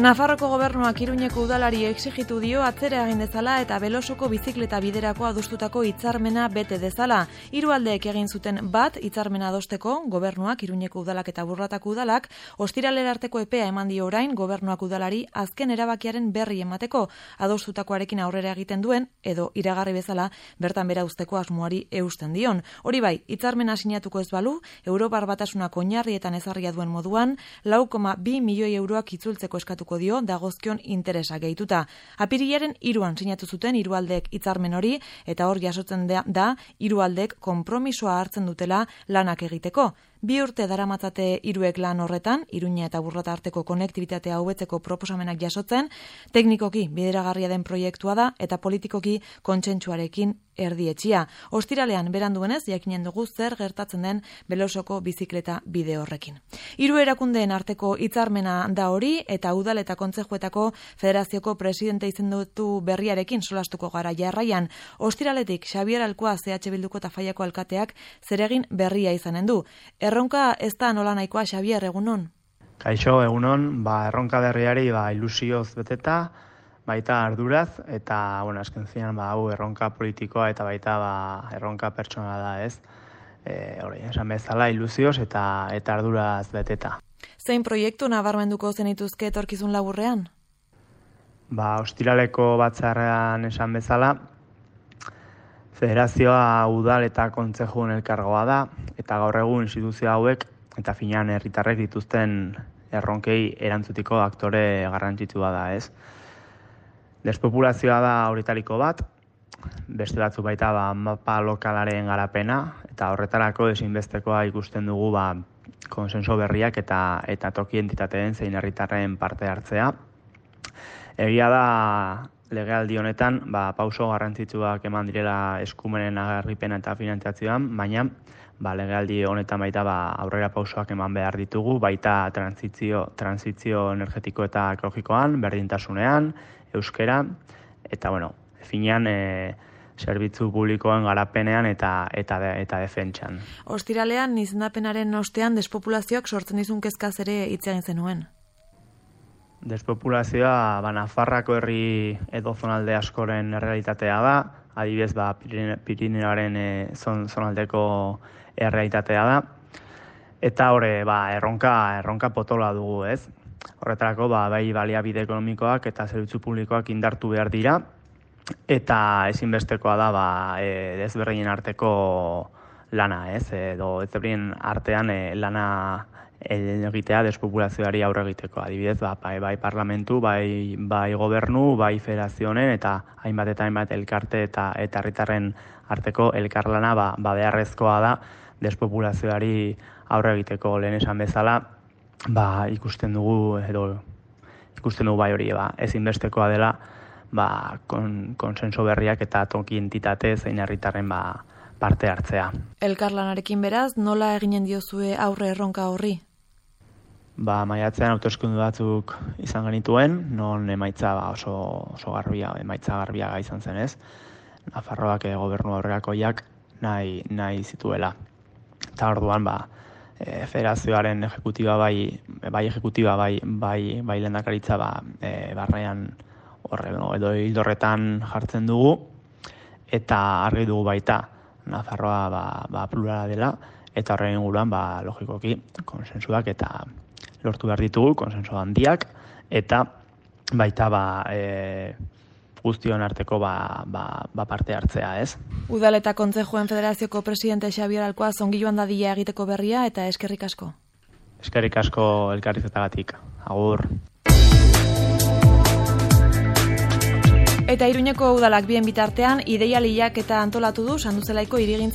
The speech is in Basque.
Nafarroko gobernuak Iruñeko udalari exijitu dio atzera egin dezala eta Belosoko bizikleta biderako adostutako hitzarmena bete dezala. Hiru aldeek egin zuten bat hitzarmena adosteko, gobernuak, Iruñeko udalak eta Burlatako udalak, ostiralera arteko epea eman dio orain gobernuak udalari azken erabakiaren berri emateko, adostutakoarekin aurrera egiten duen edo iragarri bezala bertan bera uzteko asmoari eusten dion. Hori bai, hitzarmena sinatuko ez balu, Europar Batasunak oinarrietan ezarria duen moduan 4,2 milioi euroak itzultzeko eskatuko dio dagozkion interesa gehituta. Apirilaren 3an sinatu zuten hiru aldeek hitzarmen hori eta hor jasotzen da hiru aldeek konpromisoa hartzen dutela lanak egiteko. 2 urte daramatzate hiruek lan horretan, Iruña eta Burlata arteko konektibitatea hobetzeko proposamenak jasotzen, teknikoki bideragarria den proiektua da eta politikoki kontsentsuarekin erdietxia. Ostiralean beranduenez jakinen dugu zer gertatzen den Belosoko bizikleta bide horrekin. Hiru erakundeen arteko hitzarmena da hori eta udal eta kontzejuetako federazioko presidente izendutu berriarekin solastuko gara jarraian. Ostiraletik Xabier Alkoa CH Bilduko eta Faiako alkateak zeregin berria izanen du. Erronka ez da nola nahikoa, Xabier, egunon? Kaixo, egunon, erronka berriari ilusioz beteta, baita arduraz, eta, azken zinean, hau erronka politikoa eta baita erronka pertsonala da, ez? Esan bezala, ilusioz eta arduraz beteta. Zein proiektu nabarmenduko zenituzke etorkizun laburrean? Ostiraleko batzarrean esan bezala, federazioa udal eta kontzejun elkargoa da, eta gaur egun instituzio hauek eta finean herritarrek dituzten erronkei erantzutiko aktore garrantzitsua da, ez? Despopulazioa da horitariko bat, beste batzu baita mapa lokalaren garapena, eta horretarako ezinbestekoa ikusten dugu konsenso berriak eta toki entitateen zein herritarren parte hartzea. Egia da legealdi honetan pauso garrantzitsuak eman direla eskumenen agerripena eta finantzazioan, baina legealdi honetan baita aurrera pausoak eman behar ditugu, baita transizio energetiko eta ekologikoan, berdintasunean, euskera, eta finean zerbitzu publikoen garapenean eta defentsan. Ostiralean, izendapenaren ostean despopulazioak sortzen dizun kezkaz ere hitz egin zenuen. Despopulazioa Nafarrako herri edo zonalde askoren errealitatea da, adibidez Pirineoaren zonaldeko errealitatea da, eta erronka potola dugu, ez? Horretarako bai baliabide ekonomikoak eta zerbitzu publikoak indartu behar dira, eta ezinbestekoa da ezberdinen arteko lana, ez? Edo ezberdinen artean lana egitea despopulazioari aurre egiteko. Adibidez, bai parlamentu, bai gobernu, bai federazioen eta hainbat elkarte eta herritarren arteko elkarlana beharrezkoa da despopulazioari aurre egiteko. Lehen esan bezala, ikusten dugu bai hori, ezinbestekoa dela konsenso berriak eta toki entitate zein herritarren parte hartzea. Elkarlanarekin beraz, nola eginen diozue aurre erronka horri? Maiatzean hauteskunde batzuk izan genituen, non emaitza oso garbia izan zen, ez? Nafarroak gobernu aurrerakoiak nahi zituela. Eta orduan, federazioaren ejekutiba bai lehendakaritza barnean edo hildorretan jartzen dugu, eta argi dugu baita Nafarroa plurala dela, eta horren inguruan logikoki konsensuak eta lortu behar ditugu, konsensu handiak, eta baita guztion arteko parte hartzea, ez? Udal eta Kontzejuen Federazioko presidente Xabier Alkoa ongi joan dadila egiteko berria eta eskerrik asko. Eskerrik asko elkarrizketagatik. Agur. Eta Iruñeko udalak bien bitartean ideialiak eta antolatu du Sanduzelaiko hirigintza